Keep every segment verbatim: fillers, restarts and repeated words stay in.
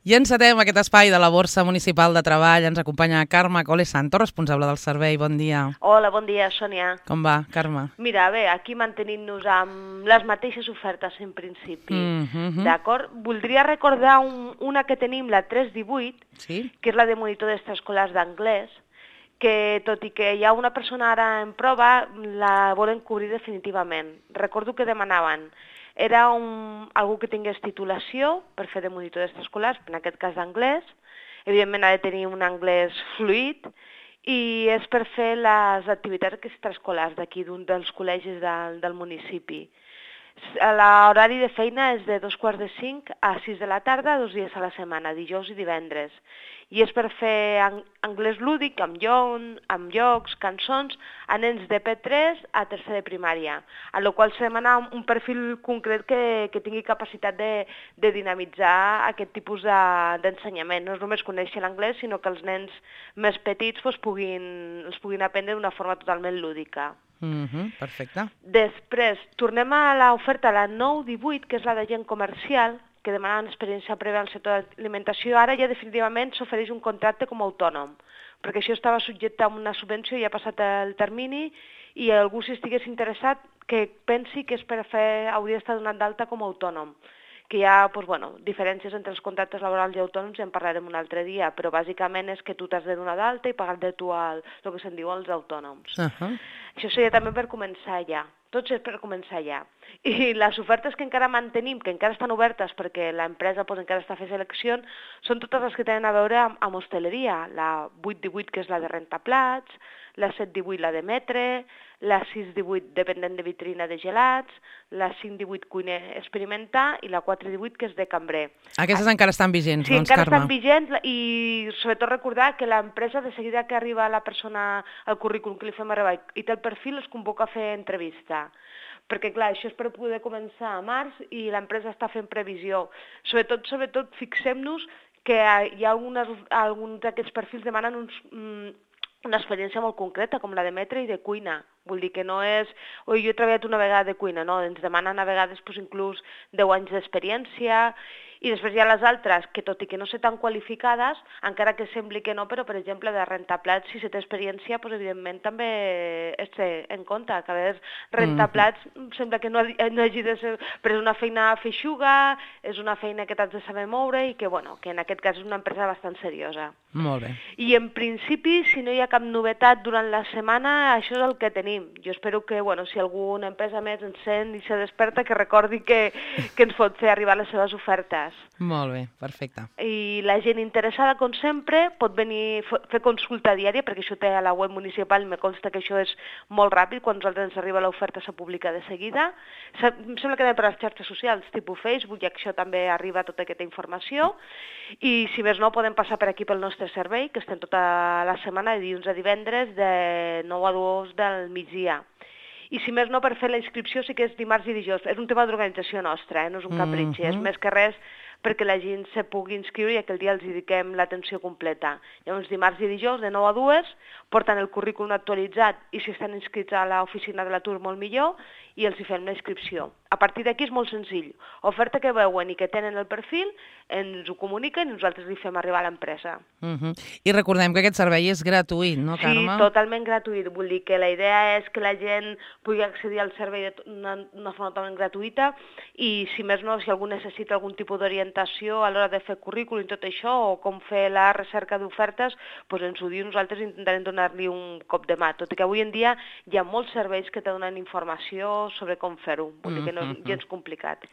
I encetem aquest espai de la Borsa Municipal de Treball. Ens acompanya Carme Cole Santo, responsable del servei. Bon dia. Hola, bon dia, Sònia. Com va, Carme? Mira, bé, aquí mantenint-nos amb les mateixes ofertes en principi. Mm -hmm. D'acord? Voldria recordar un, una que tenim, la tres divuit, sí? que és la de monitor d'extraescolars d'anglès, que tot i que hi ha una persona ara en prova, la volen cobrir definitivament. Recordo que demanaven era un, algú que tingués titulació per fer de monitor d'extraescolars, en aquest cas d'anglès. Evidentment ha de tenir un anglès fluid i és per fer les activitats extraescolars d'aquí, d'un dels col·legis del, del municipi. L'horari de feina és de dos quarts de cinc a sis de la tarda, dos dies a la setmana, dijous i divendres. I és per fer anglès lúdic, amb, llon, amb jocs, cançons, a nens de P tres a tercer de primària, a la qual s'ha demanat un perfil concret que, que tingui capacitat de, de dinamitzar aquest tipus d'ensenyament. No és només conèixer l'anglès, sinó que els nens més petits pues, puguin, els puguin aprendre d'una forma totalment lúdica. Mm-hmm, perfecte. Després, tornem a l'oferta, la nou divuit, que és la de gent comercial, que demanaven experiència prèvia al sector d'alimentació. Ara ja definitivament s'ofereix un contracte com a autònom, perquè això estava subjecte a una subvenció i ha passat el termini, i algú, si estigués interessat, que pensi que és per fer, hauria d'estar donat d'alta com a autònom, que hi ha doncs, bueno, diferències entre els contractes laborals i autònoms, ja en parlarem un altre dia, però bàsicament és que tu t'has de donar d'alta i pagar de tu el, el que se'n diu els autònoms. Uh -huh. Això seria també per començar ja, tot és per començar ja. I les ofertes que encara mantenim, que encara estan obertes perquè l'empresa pues, encara està fent seleccions, són totes les que tenen a veure amb, amb hostaleria, la vuit divuit, que és la de rentaplats, la set divuit, la d'emetre, la sis divuit, dependent de vitrina de gelats, la cinc divuit, cuiner experimentar, i la quatre divuit, que és de cambrer. Aquestes encara estan vigents, sí, doncs, encara Carme? estan vigents, i sobretot recordar que l'empresa, de seguida que arriba la persona al currículum que li fem arribar i té el perfil, es convoca a fer entrevista. Perquè, clar, això és per poder començar a març i l'empresa està fent previsió. Sobretot, sobretot, fixem-nos que hi ha algunes, alguns d'aquests perfils demanen uns, una experiència molt concreta, com la d'emetre i de cuina. Vull dir que no és, oi, jo he treballat una vegada de cuina, no, ens demanen a vegades pues, inclús deu anys d'experiència, i després hi ha les altres, que tot i que no sé tan qualificades, encara que sembli que no, però per exemple de rentaplats, si se té experiència, doncs evidentment també es té en compte, que a vegades rentaplats mm. sembla que no, no hagi de ser, però és una feina feixuga, és una feina que t'has de saber moure i que, bueno, que en aquest cas és una empresa bastant seriosa. Molt bé. I en principi, si no hi ha cap novetat durant la setmana, això és el que tenim. Jo espero que, bueno, si alguna empresa més ens sent i se desperta, que recordi que, que ens pot fer arribar les seves ofertes. Molt bé, perfecte. I la gent interessada, com sempre, pot venir a fer consulta diària, perquè això té a la web municipal, i me consta que això és molt ràpid, quan nosaltres ens arriba l'oferta se publica de seguida. Em sembla que també per les xarxes socials, tipus Facebook, ja que això també arriba tota aquesta informació, i si més no, podem passar per aquí pel nostre servei, que estem tota la setmana, de dilluns a divendres, de nou a dos del migdia. I si més no, per fer la inscripció sí que és dimarts i dijous. És un tema d'organització nostra, eh? No és un capritxi, mm -hmm. és més que res perquè la gent se pugui inscriure i aquell dia els dediquem l'atenció completa. Llavors, dimarts i dijous, de nou a dues, porten el currículum actualitzat i si estan inscrits a l'oficina de l'atur, molt millor, i els hi fem la inscripció. A partir d'aquí és molt senzill. Oferta que veuen i que tenen el perfil, ens ho comuniquen i nosaltres li fem arribar a l'empresa. Uh -huh. I recordem que aquest servei és gratuït, no, Carme? Sí, totalment gratuït. Vull dir que la idea és que la gent pugui accedir al servei d'una forma totalment gratuïta i, si més no, si algú necessita algun tipus d'orientació a l'hora de fer currículum i tot això, o com fer la recerca d'ofertes, doncs ens ho diu, nosaltres intentarem donar-li un cop de mà. Tot i que avui en dia hi ha molts serveis que te donen informació sobre com fer-ho. Vull dir que no és gens complicat.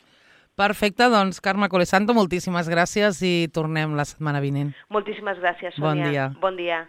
Perfecte, doncs Carme Cole Santo, moltíssimes gràcies i tornem la setmana vinent. Moltíssimes gràcies, Sònia. Bon dia. Bon dia.